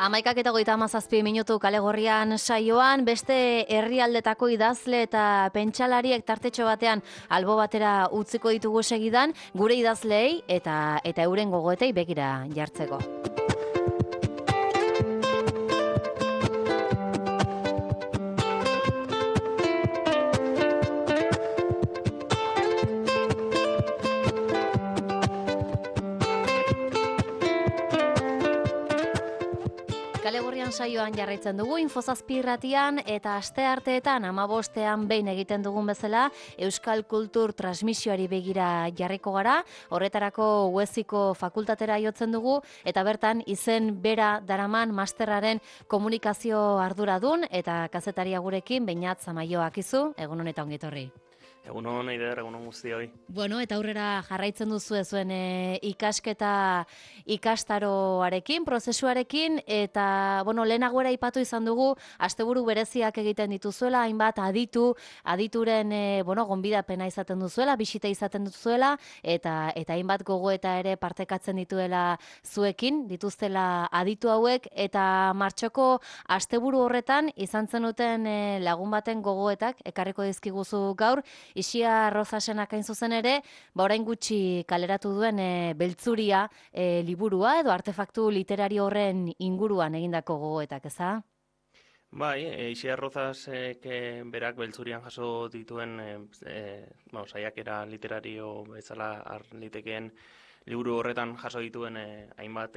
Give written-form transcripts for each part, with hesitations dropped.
11:37 Kale Gorrian saioan, beste herrialdetako idazle eta pentsalariek tartetxo batean albo batera utziko ditugu segidan, gure idazleei eta euren gogoetei begira jartzeko. Kale Gorrian saioan jarraitzen dugu, Info7 irratian eta astearteetan 15ean behin egiten dugun bezala Euskal Kultur transmisioari begira jarriko gara, horretarako Ueziko fakultatera jotzen dugu eta bertan izen bera daraman masterraren komunikazio arduradun eta kazetaria gurekin Beñat Zamaioak izu, egun honetan ongi etorri. Egun hon, Eider, egun hon guztioi. Bueno, eta aurrera jarraitzen duzu zuen ikasketa ikastaroarekin, prozesuarekin, eta, lehenagoera aipatu izan dugu, asteburu bereziak egiten dituzuela, hainbat adituren, gonbidapena izaten duzuela, bisita izaten duzuela, eta hainbat gogoeta ere partekatzen dituela zuekin, dituztela aditu hauek, eta martxoko asteburu horretan izan zenuten lagun baten gogoetak, ekarriko dizkiguzu gaur, Ixia Rozasenak hain zuzen ere, orain gutxi kaleratu duen Beltzuria liburua edo artefaktu literario horren inguruan egindako gogoetak, eza? Bai, Ixia Rozasek berak Beltzurian jaso dituen saiakera literario bezala har litekeen liburu horretan jaso dituen hainbat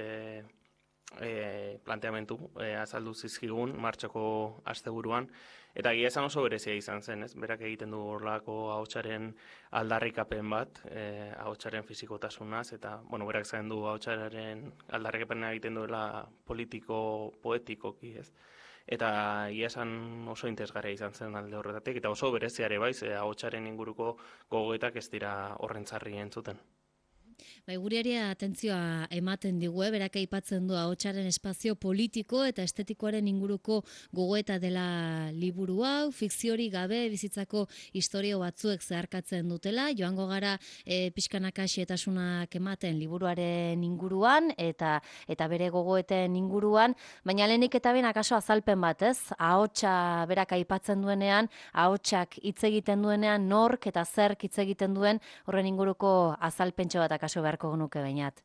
planteamentu azaldu zizkigun martxoko asteburuan, eta egia esan oso berezia izan zen, ez? Berak egiten du horrelako ahotsaren aldarrikapen bat, ahotsaren fisikotasunaz, eta berak zain du ahotsaren aldarrikapena egiten duela politiko-poetikoki, ez? Eta egia esan oso interesgarria izan zen alde horretatik, eta oso bereziare baiz, ahotsaren inguruko gogoetak ez dira horrentzarri entzuten. Guriari atentzioa ematen digu, berak aipatzen du ahotsaren espazio politiko eta estetikoaren inguruko gogoeta dela liburu hau, fikziori gabe bizitzako istorio batzuek zeharkatzen dutela, joango gara pixkanaka xehetasunak ematen liburuaren inguruan eta bere gogoeten inguruan, baina lehenik eta behin akaso azalpen bat, ez? Ahotsa berak aipatzen duenean, ahotsak hitz egiten duenean, nork eta zerk hitz egiten duen horren inguruko azalpentxo bat akaso beharko genuke Beñat.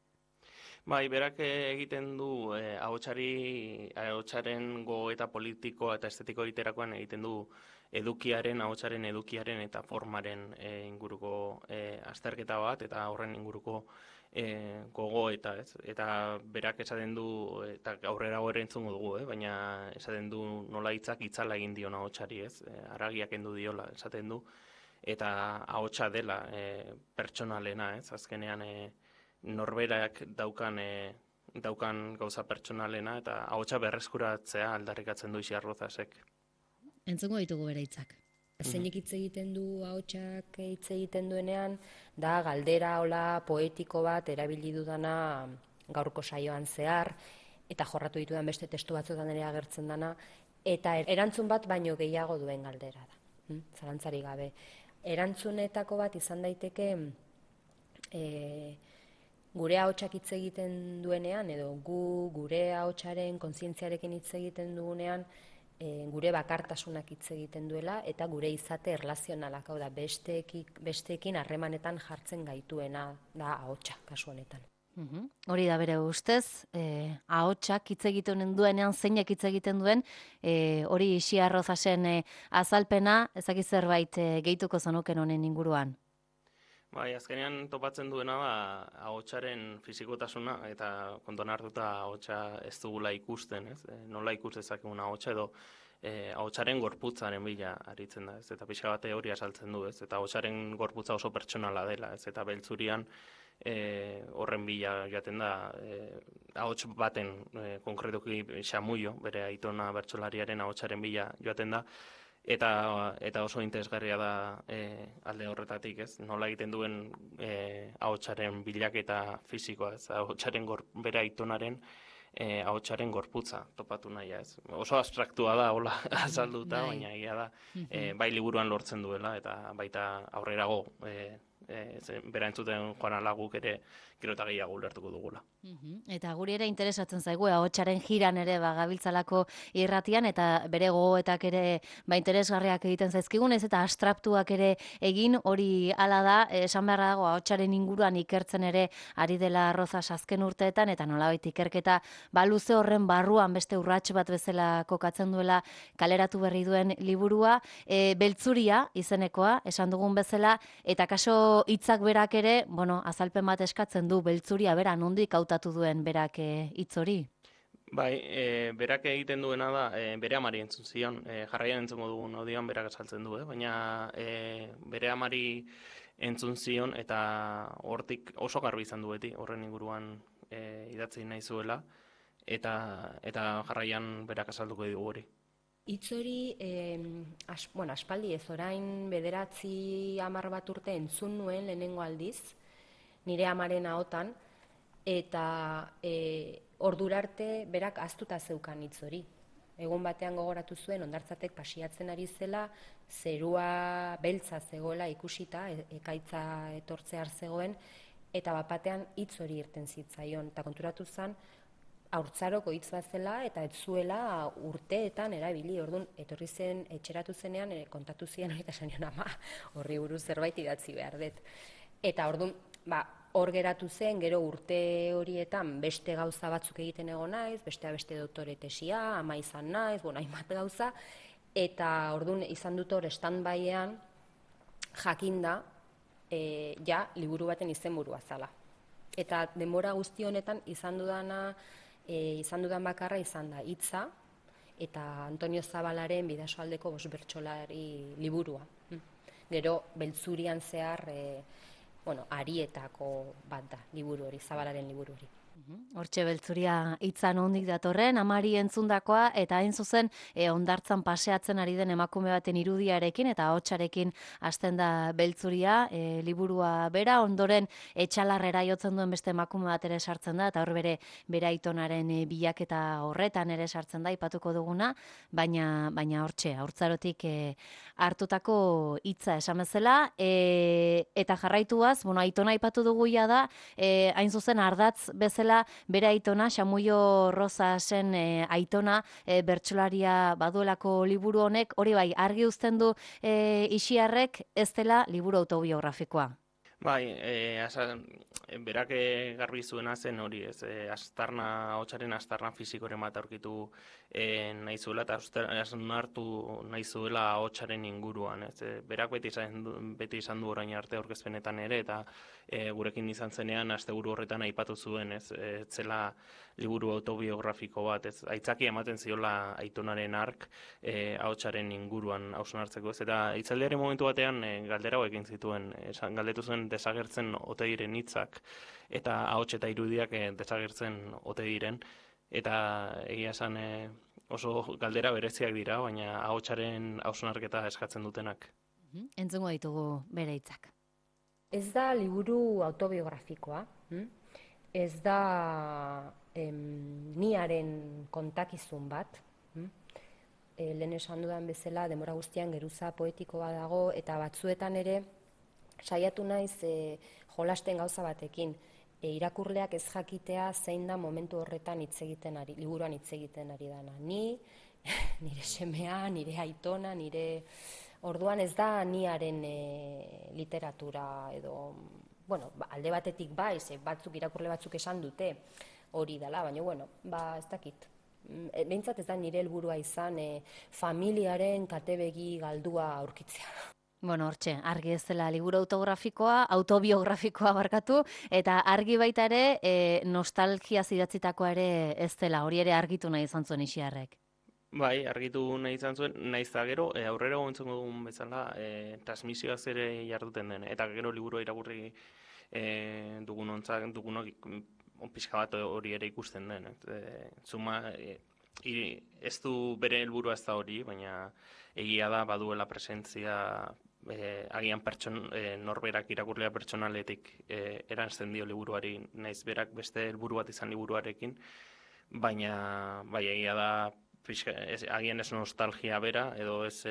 Bai, berak egiten du ahotsaren gogoeta politiko eta estetiko egiterakoan egiten du ahotsaren edukiaren eta formaren inguruko azterketa bat eta horren inguruko gogoeta, ez? Eta berak esaten du, eta aurrera gore entzungo dugu, baina esaten du nola hitzak itzala egin dion ahotsari, ez? Haragiak kendu diola, esaten du, eta ahotsa dela pertsonalena, ez? Azkenean norberak daukan gauza pertsonalena eta ahotsa berreskuratzea aldarrikatzen du Ixia Rozasek. Entzungo ditugu bere hitzak. Zeinek hitz egiten du ahotsak hitz egiten duenean, da galdera hola poetiko bat erabili dudana gaurko saioan zehar, eta jorratu ditudan beste testu batzuetan ere agertzen dana, eta erantzun bat baino gehiago duen galdera da. Zalantzari gabe. Erantzunetako bat izan daiteke gure ahotsak hitz egiten duenean, edo gure ahotsaren kontzientziarekin hitz egiten dugunean, gure bakartasunak hitz egiten duela, eta gure izate erlazionalak, hau da, besteekin harremanetan jartzen gaituena da ahotsa, kasu honetan. Hori da bere ustez, ahotsak hitz egiten duenean, zeinek hitz egiten duen, hori Ixia Rozasen azalpena, ezakit zerbait gehituko zenuken honen inguruan. Bai, azkenean topatzen duena da ahotsaren fisikotasuna, eta kontuan hartuta ahotsa ez dugula ikusten, ez? Nola ikus dezakegun ahotsa edo ahotsaren gorputzaren bila aritzen da, ez? Eta pixka bate hori azaltzen du, ez? Eta ahotsaren gorputza oso pertsonala dela, ez? Eta Beltzurian horren bila joaten da, ahots baten konkretuki Xamuio, bere aitona bertsolariaren ahotsaren bila joaten da, eta oso interesgarria da alde horretatik, ez? Nola egiten duen ahotsaren bilaketa fisikoa, ez? Ahotsaren bere aitonaren ahotsaren gorputza topatu nahia, ez? Oso abstraktua da, hola azalduta, baina egia da, bai liburuan lortzen duela, eta baita aurrerago bera entzuten joan ala guk ere gero eta gehiago ulertuko dugula. Eta guri ere interesatzen zaigu, ahotsaren jiran ere gabiltzalako irratian, eta bere gogoetak ere interesgarriak egiten zaizkigun, ez eta abstraktuak ere egin, hori hala da, esan beharra dago ahotsaren inguruan ikertzen ere ari dela Rozas azken urteetan, eta nolabait ikerketa luze horren barruan beste urrats bat bezala kokatzen duela kaleratu berri duen liburua, Beltzuria izenekoa, esan dugun bezala, eta kaso hitzak berak ere, azalpen bat eskatzen du Beltzuria bera, nondik hautatu duen berak hitz hori? Bai, berak egiten duena da, bere amari entzun zion, jarraian entzungo dugun odian berak esaltzen du, baina bere amari entzun zion eta hortik oso garbi izan du beti, horren inguruan idatzi nahi zuela, eta jarraian berak azalduko digu hori. Hitz hori, aspaldi ez orain 9-10 bat urte entzun nuen lehenengo aldiz, nire amaren ahotan, eta ordura arte berak ahaztuta zeukan hitz hori. Egun batean gogoratu zuen, hondartzatek pasiatzen ari zela, zerua beltza zegoela ikusita, ekaitza etortzear zegoen, eta batean hitz hori irten zitzaion, eta konturatu zen, haurtzaroko hitz bat zela eta ez zuela urteetan erabili. Orduan, etorri zen, etxeratu zenean, kontatu zian hori eta zenion, ama, horri buruz zerbait idatzi behar dut. Eta orduan, hor geratu zen, gero urte horietan beste gauza batzuk egiten egon naiz, beste doktore tesia, ama izan naiz, hainbat gauza, eta orduan izan dut hor stand-byean jakinda liburu baten izenburua zala. Eta denbora guzti honetan izan dudan bakarra izan da hitza eta Antonio Zabalaren Bidasoaldeko 5 bertsolari liburua. Gero Beltzurian zehar arietako bat da liburu hori, Zabalaren liburu hori. Hortxe Beltzuria hitza nondik datorren, amari entzundakoa, eta hain zuzen hondartzan paseatzen ari den emakume baten irudiarekin eta ahotsarekin hasten da Beltzuria, liburua bera, ondoren etxalarrera jotzen duen beste emakume bat ere sartzen da, eta hor bere aitonaren bilaketa horretan ere sartzen da, aipatuko duguna, baina hortxe, haurtzarotik hartutako hitza esan bezala, eta jarraituaz, aitona aipatu dugu da, hain zuzen ardatz bezala bere aitona, Xamuio Rosasen aitona, bertsolaria baduelako liburu honek, hori bai, argi uzten du Ixiarrek ez dela liburu autobiografikoa. Bai, berak garbi zuena zen hori, ahotsaren astarna fisikoren bat aurkitu nahi zuela, eta hartu nahi zuela ahotsaren inguruan. Berak beti izan du orain arte aurkezpenetan ere, eta gurekin izan zenean asteburu horretan aipatu zuen, ez zela liburu autobiografiko bat, aitzaki ematen ziola aitonaren ark ahotsaren inguruan hausnartzeko, eta hitzaldiaren momentu batean galdera egin zituen, galdetu zuen desagertzen ote diren hitzak eta ahots eta irudiak desagertzen ote diren, eta egia esan oso galdera bereziak dira, baina ahotsaren hausnarketa eskatzen dutenak. Entzungo ditugu bere hitzak. Ez da liburu autobiografikoa, ez da niaren kontakizun bat, lehen esan dudan bezala denbora guztian geruza poetikoa dago, eta batzuetan ere saiatu naiz jolasten gauza batekin, irakurleak ez jakitea zein da momentu horretan liburuan hitz egiten ari dana. Nire semea, nire aitona, orduan ez da niaren literatura edo, alde batetik bai, irakurle batzuk esan dute hori dela, baina, ez dakit. Behintzat ez da nire helburua izan familiaren katebegi galdua aurkitzea. Hortxe, argi ez dela liburu autobiografikoa barkatu, eta argi baita ere nostalgia idatzitakoa ere ez dela, hori ere argitu nahi izan zuen Ixiarrek. Bai, argitu nahi izan zuen, nahiz da gero, aurrera gontzongo dugun bezala, transmisioaz ere jarduten den, eta gero liburua irakurri dugunok pixka bat hori ere ikusten den. Ez du bere helburua ez da hori, baina egia da baduela presentzia agian norberak irakurlea pertsonaletik eransten dio liburuari, naiz berak beste helburu bat izan liburuarekin, baina egia da agian ez nostalgia bera, edo ez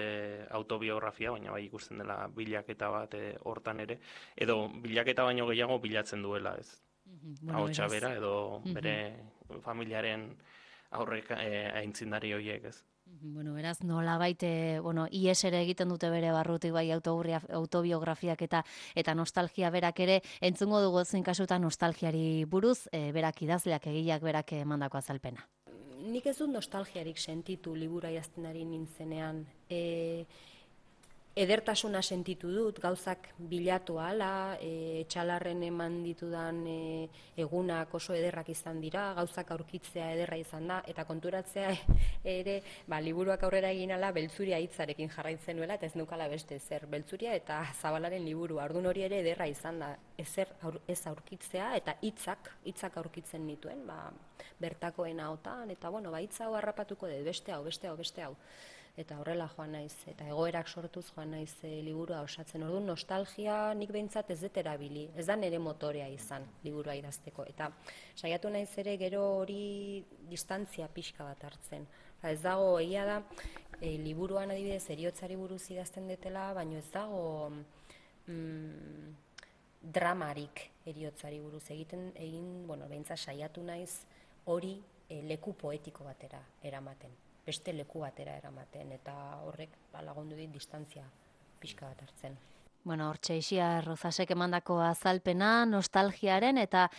autobiografia, baina bai ikusten dela bilaketa bat hortan ere, edo bilaketa baino gehiago bilatzen duela, ez? Ahotsa bera, edo bere familiaren aurrek aintzindari horiek, ez? Bueno, beraz, nolabait, ies ere egiten dute bere barrutik bai autobiografiak eta nostalgia berak ere, entzungo dugu zein kasutan nostalgiari buruz, berak idazleak egileak berak emandako azalpena. Nik ez dut nostalgiarik sentitu libura idazten ari nintzenean. Edertasuna sentitu dut, gauzak bilatu ahala, etxalarren eman ditudan egunak oso ederrak izan dira, gauzak aurkitzea ederra izan da, eta konturatzea ere, liburuak aurrera egin ala, Beltzuria hitzarekin jarraitzen nuela, eta ez nukala beste zer, Beltzuria eta Zabalaren liburu, ordun hori ere ederra izan da, ez aurkitzea, eta hitzak aurkitzen nituen, bertakoen ahotan, eta hitza hau harrapatuko dut, beste hau. Eta horrela joan naiz, eta egoerak sortuz joan naiz liburua osatzen. Orduan nostalgia nik behintzat ez dut erabili, ez da nire motorea izan liburua idazteko. Eta saiatu naiz ere gero hori distantzia pixka bat hartzen. Ez dago, egia da, liburuan adibidez heriotzari buruz idazten detela, baina ez dago dramarik heriotzari buruz behintzat saiatu naiz hori leku poetiko batera eramaten. Beste leku batera eramaten, eta horrek lagundu dit distantzia pixka bat hartzen. Hortxe Ixiar Rozasek emandako azalpena, nostalgiaren eta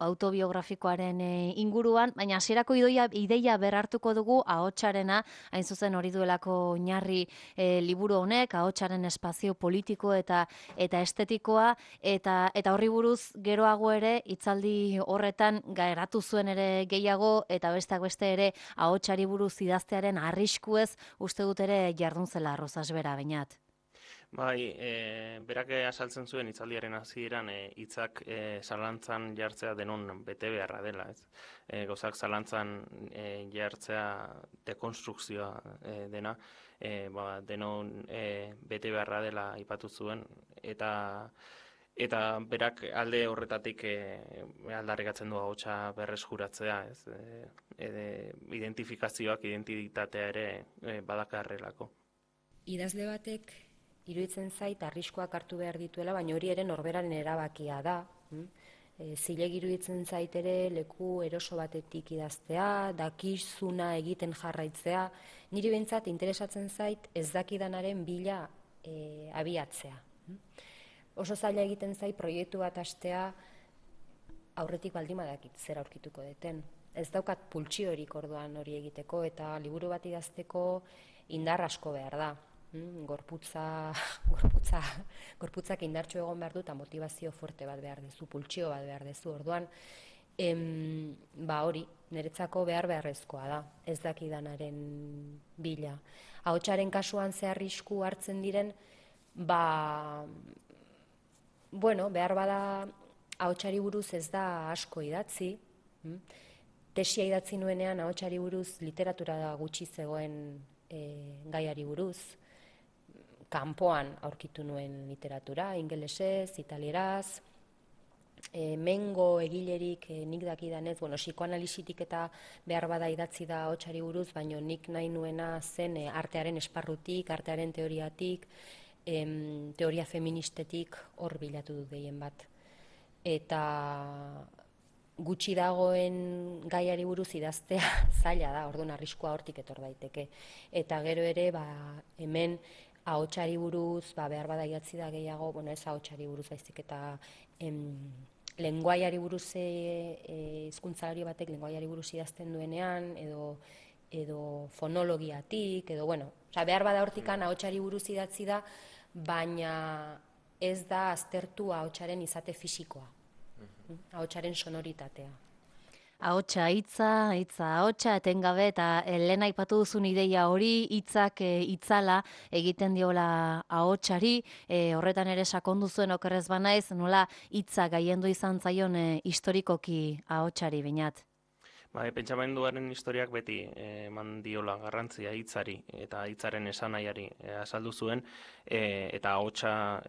autobiografikoaren inguruan, baina hasierako ideia berhartuko dugu ahotsarena, hain zuzen hori duelako oinarri liburu honek, ahotsaren espazio politiko eta estetikoa, eta horri buruz geroago ere, hitzaldi horretan geratu zuen ere gehiago, eta besteak beste ere ahotsari buruz idaztearen arriskuez uste dut ere jardun zela Rozas bera, Beñat. Bai, berak azaltzen zuen hitzaldiaren hasieran hitzak zalantzan jartzea denon bete beharra dela, ez? Gauzak zalantzan jartzea dekonstrukzioa dena, denon bete beharra dela aipatu zuen, eta berak alde horretatik aldarrikatzen du ahotsa berreskuratzea, ez? Identifikazioak, identitatea ere badakarrelako. Idazle batek iruditzen zait arriskoak hartu behar dituela, baina hori ere norberaren erabakia da. Zilegi iruditzen zait ere leku eroso batetik idaztea, dakizuna egiten jarraitzea. Niri behintzat interesatzen zait ez dakidanaren bila abiatzea. Oso zaila egiten zait proiektu bat hastea aurretik baldin badakit zer aurkituko deten. Ez daukat pultsiorik orduan hori egiteko, eta liburu bat idazteko indar asko behar da. Gorputzak indartxo egon behar du eta motivazio fuerte bat behar dezu, pultsio bat behar dezu. Orduan, hori, niretzako beharrezkoa da, ez dakidanaren bila. Ahotsaren kasuan ze arrisku hartzen diren, behar bada ahotsari buruz ez da asko idatzi. Tesia idatzi nuenean ahotsari buruz literatura gutxi zegoen gaiari buruz. Kanpoan aurkitu nuen literatura, ingelesez, italieraz, mengo egilerik nik dakidanez, psikoanalisitik eta behar bada idatzi da ahotsari buruz, baina nik nahi nuena zen artearen esparrutik, artearen teoriatik, teoria feministetik hor bilatu dut gehien bat. Eta gutxi dagoen gaiari buruz idaztea zaila da, orduan arriskua hortik etor daiteke. Eta gero ere, hemen ahotsari buruz, behar bada idatzi da gehiago, ez ahotsari buruz baizik eta lengoaiari buruz, hizkuntzalari batek lengoaiari buruz idazten duenean, edo fonologiatik, behar bada hortikan ahotsari buruz idatzi da, baina ez da aztertu ahotsaren izate fisikoa, ahotsaren sonoritatea. Ahotsa hitza ahotsa etengabe, eta lehen aipatu duzun ideia hori, hitzak itzala egiten diola ahotsari, horretan ere sakondu zuen okerrez banaiz, nola hitza gailendu izan zaion historikoki ahotsari, Beñat. Pentsamenduaren historiak beti eman diola garrantzia hitzari eta hitzaren esanahiari azaldu zuen, eta ahotsa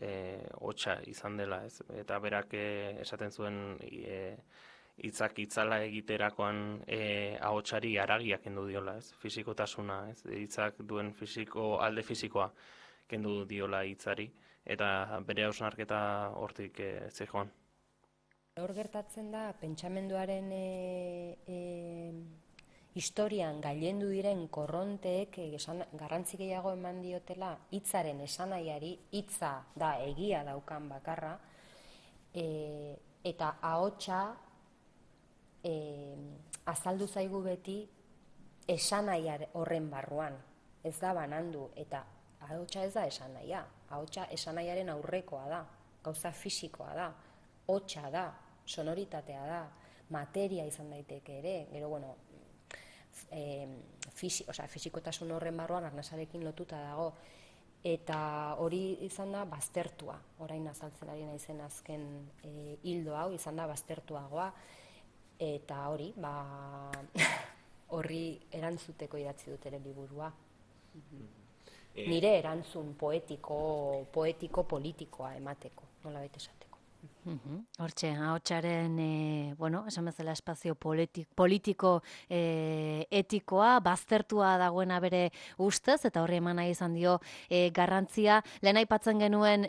izan dela, ez? Eta berak esaten zuen hitzak itzala egiterakoan ahotsari haragia kendu diola, ez? Fisikotasuna, ez? Hitzak duen alde fisikoa kendu diola hitzari, eta bere hausnarketa hortik zijoan. Hor gertatzen da, pentsamenduaren historian gailendu diren korronteek garrantzi gehiago eman diotela hitzaren esanaiari, hitza da egia daukan bakarra, eta ahotsa azaldu zaigu beti esanaiar horren barruan, ez da banandu, eta ahotsa ez da esanaia, ahotsa esanaiaren aurrekoa da, gauza fisikoa da, hotsa da, sonoritatea da, materia izan daiteke ere, gero, bueno, fisikotasun horren barruan arnasarekin lotuta dago, eta hori izan da baztertua, orain azaltzen ari naizen azken hildo hau, izan da baztertuagoa, eta hori, horri erantzuteko idatzi dut ere liburua. Nire erantzun poetiko-politikoa emateko, nolabait esateko. Hortxe, ahotsaren, esan bezala espazio politiko etikoa, baztertua dagoena bere ustez, eta horri eman nahi izan dio garrantzia. Lehen aipatzen genuen,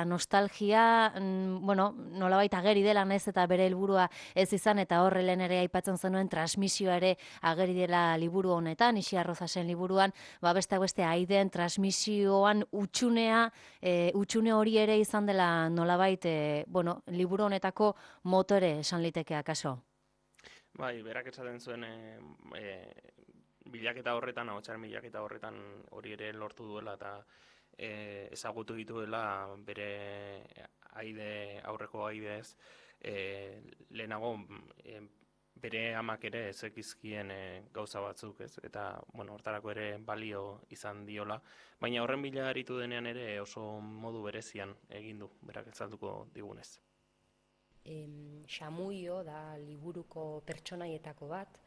nostalgia, nolabait ageri dela naiz eta bere helburua ez izan, eta horre lehen ere aipatzen zenuen transmisioa ere ageri dela liburu honetan, Ixi Arrozasen liburuan, besteak beste aiden transmisioan utxune hori ere izan dela nolabait liburu honetako motore esan liteke akaso. Bai, berak esaten zuen bilaketa horretan, ahotsaren bilaketa horretan hori ere lortu duela eta ezagutu dituela bere aurreko aidez, lehenago bere amak ere ezekizkien gauza batzuk, ez? Eta, hortarako ere balio izan diola, baina horren bila aritu denean ere oso modu berezian egin du, berak ezalduko digunez. Xamuio da liburuko pertsonaietako bat,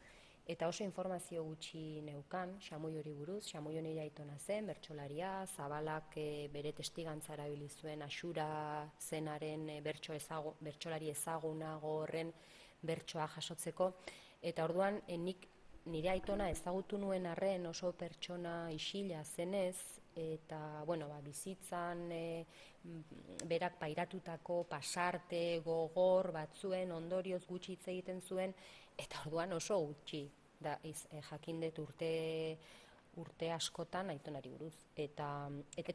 eta oso informazio gutxi neukan Xamuiori buruz. Xamuio nire aitona zen, bertsolaria, Zabalak bere testigantza erabili zuen Axura zenaren bertsolari ezagunago horren bertsoa jasotzeko, eta orduan nik nire aitona ezagutu nuen arren oso pertsona isila zenez, eta bizitzan berak pairatutako pasarte gogor batzuen ondorioz gutxi hitz egiten zuen, eta orduan oso gutxi jakin dut urte askotan aitonari buruz. Eta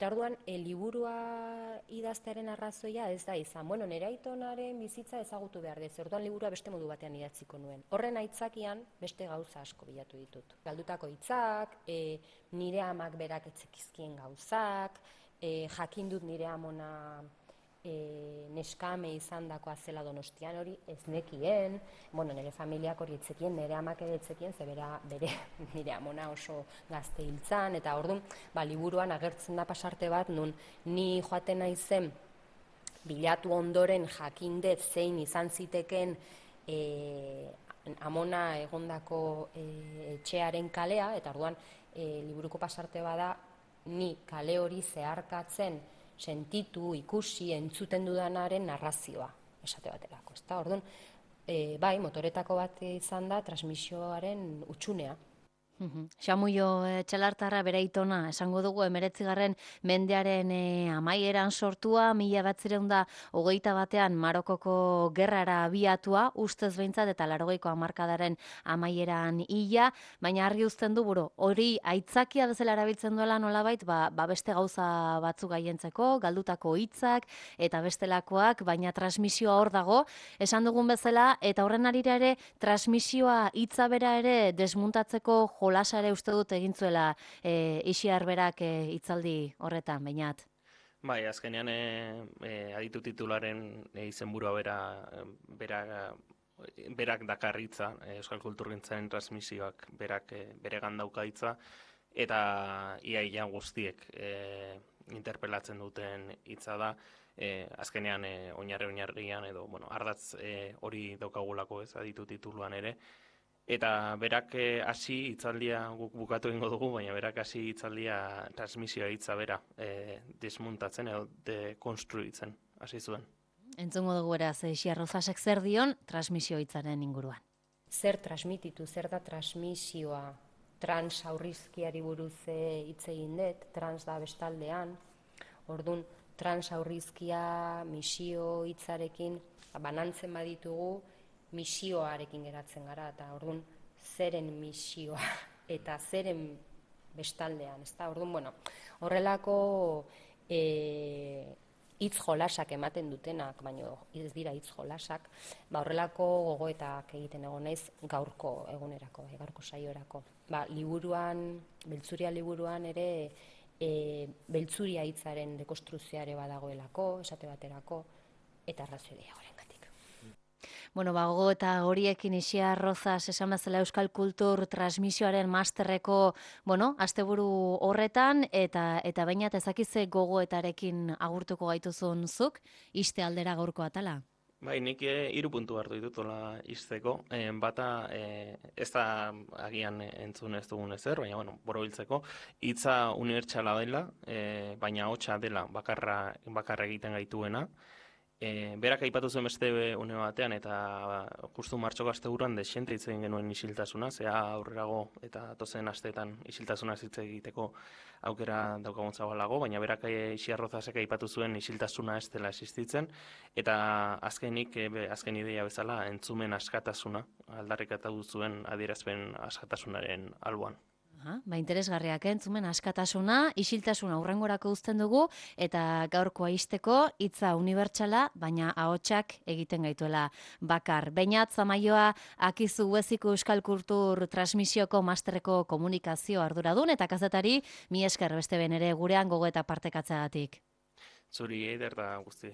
orduan, liburua idaztearen arrazoia ez da izan. Nire aitonaren bizitza ezagutu behar dez, orduan liburua beste modu batean idatziko nuen. Horren aitzakian beste gauza asko bilatu ditut. Galdutako hitzak, nire amak berak etzekizkien gauzak, jakin dut nire amona neskame izan dakoa zela Donostian, hori ez nekien, nire familiak hori etzekien, nire amak ere etzekien, ze bere nire amona oso gazte hiltzan, eta orduan, liburuan agertzen da pasarte bat, nun ni joaten naizen bilatu ondoren jakindet zein izan ziteken amona egondako etxearen kalea, eta orduan liburuko pasarte bada ni kale hori zeharkatzen sentitu, ikusi, entzuten dudanaren narrazioa, esate baterako. Orduan, motoretako bat izan da transmisioaren utxunea. Xamuio Txalartarra bere aitona, esango dugu 19. mendearen amaieran sortua, 1921 Marokoko gerrara abiatua, ustez behintzat eta 80ko hamarkadaren amaieran hila, baina argi uzten du hori aitzakia bezala erabiltzen duela nolabait, beste gauza batzuk gaientzeko, galdutako hitzak eta bestelakoak, baina transmisioa hor dago, esan dugun bezala, eta horren arira ere transmisioa hitza bera ere desmuntatzeko jolasare uste dut egin zuela Ixi Arberak hitzaldi horretan, Beñat. Bai, azkenean aditu titularen izenburua berak dakarritza, euskal kulturgintzaren transmisioak beregan daukaitza, eta iaia guztiek interpelatzen duten hitza da, azkenean oinarrian edo, ardatz hori daukagulako ez aditu tituluan ere, eta berak hasi hitzaldia guk bukatu egingo dugu, baina berak hasi hitzaldia transmisioa hitza bera desmuntatzen edo dekonstruitzen hasi zuen. Entzungo dugu beraz, Ixia Rozasek zer dion transmisio hitzaren inguruan. Zer transmititu, zer da transmisioa? Trans aurrizkiari buruz hitz egin dut, trans da bestaldean. Orduan, trans aurrizkia misio hitzarekin banantzen baditugu, misioarekin geratzen gara, eta orduan zeren misioa eta zeren bestaldean, ezta? Orduan, bueno, horrelako hitz jolasak ematen dutenak, baina ez dira hitz jolasak, horrelako gogoetak egiten egon naiz gaurko egunerako, gaurko saiorako. Liburuan, Beltzuria liburuan ere beltzuria hitzaren dekonstruzioare badagoelako, esate baterako, eta arrazoi gehiagorengatik. Bueno, gogo eta horiekin Ixia Rozas esan bezala Euskal Kultur transmisioaren masterreko, asteburu horretan, eta bainat ezakize gogoetarekin agurtuko gaituzun zuk, iste aldera gaurko atala? Bai, nik 3 puntu hartu ditutola izteko. Bata, ez da agian entzun ez dugun ezer, baina, borobiltzeko, hitza unibertsala dela, baina hotsa dela bakarra egiten gaituena. Berak aipatu zuen beste une batean, eta justu martxoko asteburuan desente hitz egin genuen isiltasuna, zea aurrerago eta tozen asteetan isiltasuna hitz egiteko aukera daukagun zabalago, baina berak Ixia Rozasek aipatu zuen isiltasuna ez dela existitzen, eta azken ideia bezala entzumen askatasuna aldarrikatu zuen adierazpen askatasunaren alboan. Interesgarriak, entzumen askatasuna, isiltasuna hurrengorako uzten dugu, eta gaurkoa ixteko hitza unibertsala, baina ahotsak egiten gaituela bakar. Beñat Zamaioa Akizu Hueziko Euskal Kultur transmisioko masterreko komunikazio arduradun, eta kazetari, mi esker beste ben ere gurean gogo eta partekatzeagatik. Zuri Eider da guzti.